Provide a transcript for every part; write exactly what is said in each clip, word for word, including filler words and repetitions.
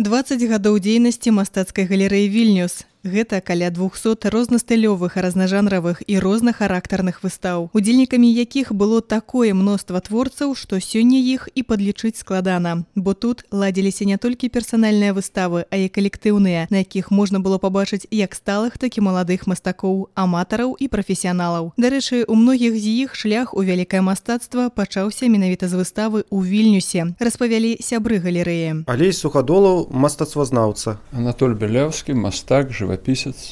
дваццаць гадоў дзейнасці мастацкай галерэі «Вільнюс». Гэта каля двухсот рознастылёвых, разнажанравых і рознахарактарных выстаў, удзельнікамі якіх было такое мноства творцаў, што сёння іх і падлічыць складана. Бо тут ладзіліся не толькі персанальныя выставы, а і калектыўныя, на якіх можна было пабачыць як сталых, так і маладых мастакоў, аматараў і прафесіяналаў. Дарэчы, у многіх з іх шлях у вялікае мастацтва пачаўся менавіта з выставы ў Вільнюсе, распавялі сябры галерэі. Алей Сухадолаў, мастацтвазнаўца. Анатоль Белявскі, мастак, жывапісец.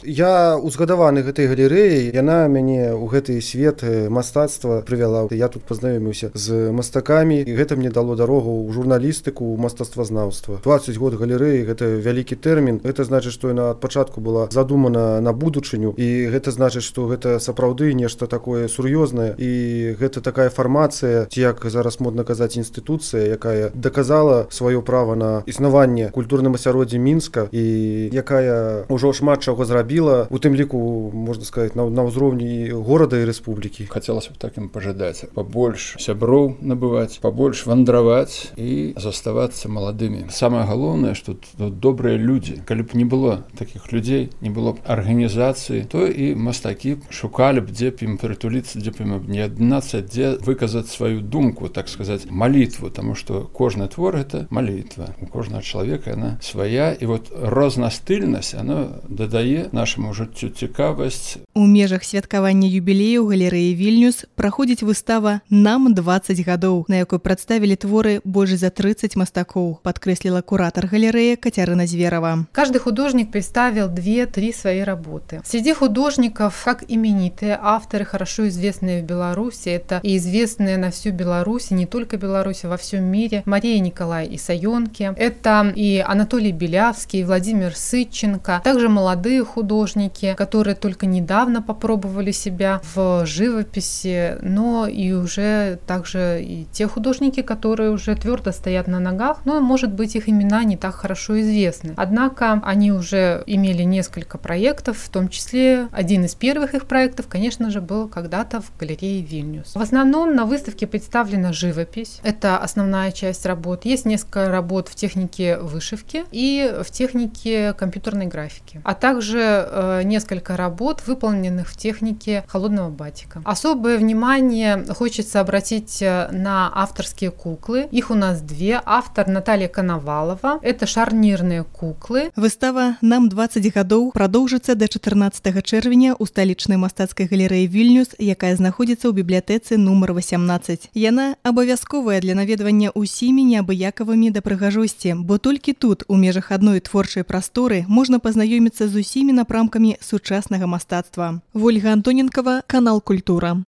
Я узгадаваны гэтай галерэі, яна мяне ў гэты свет мастацтва прывяла. Я тут пазнаёміўся з мастакамі, і гэта мне дало дарогу ў журналістыку, ў мастацтвазнаўства. дваццаць год галерэі гэта вялікі тэрмін. Гэта значыць, што яна ад пачатку была задумана на будучыню, і гэта значыць, што гэта сапраўды нешта такое сур'ёзнае, і гэта такая фармацыя, ці як зараз модна казаць, інстытуцыя, якая даказала сваё права на існаванне культурным асяроддзі Мінска, і якая ўжо шмат чаго зрабіла, у тым ліку, можна сказаць, на, на ўзроўні горада і рэспублікі. Хацелася б так ім пажадаць. Пабольш сяброў набываць, пабольш вандраваць і заставацца маладымі. Самае галоўнае, што тут добрыя людзі. Калі б не было такіх людзей, не было б арганізацыі, то і мастакі шукалі б, дзе б ім прытуліцца, дзе б ім аб'яднацца, дзе выказаць сваю думку, так сказаць, малітву, таму што кожны твор — гэта малітва. У кожнага чалавека яна свая, і вот рознастыльнасць, она дадае нашаму жыццю цікавасць. У межах святкавання юбілею галерэі «Вільнюс» праходзіць выстава «Нам дваццаць гадоў», на якой прадставілі творы больш за тридцать мастакоў, падкрэсліла куратор галерэі Катерина Зверова. Каждый художник представил две-три свои работы. Среди художников, как именитые авторы, хорошо известные в Беларуси, это и известные на всю Беларусь, и не только Беларусь, а во всем мире, Мария Николай Исаёнки, это и Анатолий Белявский, и Владимир Сытченко, также молодые художники, которые только недавно попробовали себя в живописи, но и уже также и те художники, которые уже твердо стоят на ногах, но, может быть, их имена не так хорошо известны. Однако они уже имели несколько проектов, в том числе один из первых их проектов, конечно же, был когда-то в галерее «Вильнюс». В основном на выставке представлена живопись, это основная часть работ. Есть несколько работ в технике вышивки и в технике компьютерной графики, а также э, несколько работ, выполненных в технике холодного батика. Особое внимание хочется обратить на авторские куклы. Их у нас две. Автор Наталья Коновалова. Это шарнірныя куклы. Выстава «Нам дваццаць гадоў» прадоўжыцца да чатырнаццатага чэрвеня ў сталічнай мастацкай галерэі «Вільнюс», якая знаходзіцца ў бібліятэцы нумар васямнаццаць. Яна абавязковая для наведвання ўсімі неабыякавымі да прыгажосці, бо толькі тут, у межах адной творчай прасторы, можна пазнаёміцца з усімі напрамкамі сучаснага мастацтва. Вольга Антоненкова, канал «Культура».